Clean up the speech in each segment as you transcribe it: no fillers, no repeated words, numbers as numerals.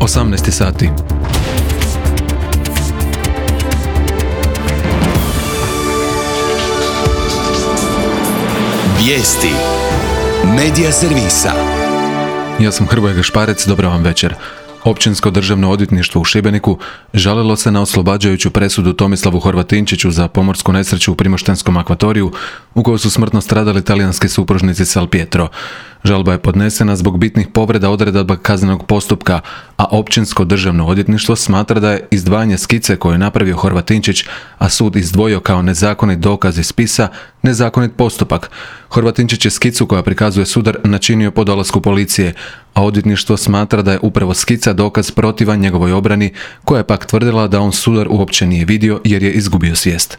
18 sati. Vijesti Medija servisa. Ja sam Hrvoje Gašparec, dobro vam večer. Općinsko državno odvjetništvo u Šibeniku žalilo se na oslobađajuću presudu Tomislavu Horvatinčiću za pomorsku nesreću u Primoštenskom akvatoriju u kojoj su smrtno stradali talijanski supružnici Salpietro. Žalba je podnesena zbog bitnih povreda odredaba kaznenog postupka, a Općinsko državno odvjetništvo smatra da je izdvajanje skice koju je napravio Horvatinčić, a sud izdvojio kao nezakonit dokaz iz spisa, nezakonit postupak. Horvatinčić je skicu koja prikazuje sudar načinio po dolasku policije, a odvjetništvo smatra da je upravo skica dokaz protivan njegovoj obrani, koja je pak tvrdila da on sudar uopće nije vidio jer je izgubio svijest.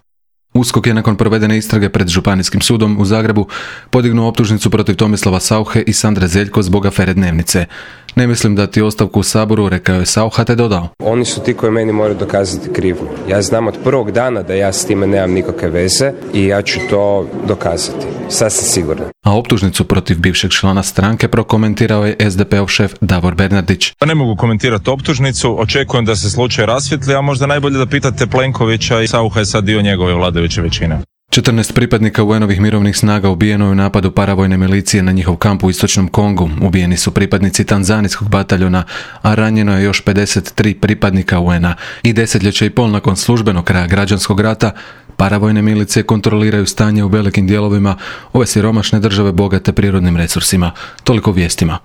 USKOK je nakon provedene istrage pred Županijskim sudom u Zagrebu podignuo optužnicu protiv Tomislava Sauche i Sandre Zeljko zbog afere Dnevnice. Ne mislim dati ostavku u Saboru, rekao je Saucha te dodao. Oni su ti koji meni moraju dokazati krivnju. Ja znam od prvog dana da ja s time nemam nikakve veze i ja ću to dokazati. Sasvim sigurno. A optužnicu protiv bivšeg člana stranke prokomentirao je SDP-ov šef Davor Bernardić. Ne mogu komentirati optužnicu, očekujem da se slučaj rasvijetli, a možda najbolje da pitate Plenkovića i Saucha je sad dio njegove vladajuće većine. 14 pripadnika UN-ovih mirovnih snaga ubijeno je u napadu paravojne milicije na njihov kamp u istočnom Kongu. Ubijeni su pripadnici tanzanijskog bataljona, a ranjeno je još 53 pripadnika UN-a. I desetljeće i pol nakon službenog kraja građanskog rata, paravojne milicije kontroliraju stanje u velikim dijelovima ove siromašne države bogate prirodnim resursima. Toliko vijestima.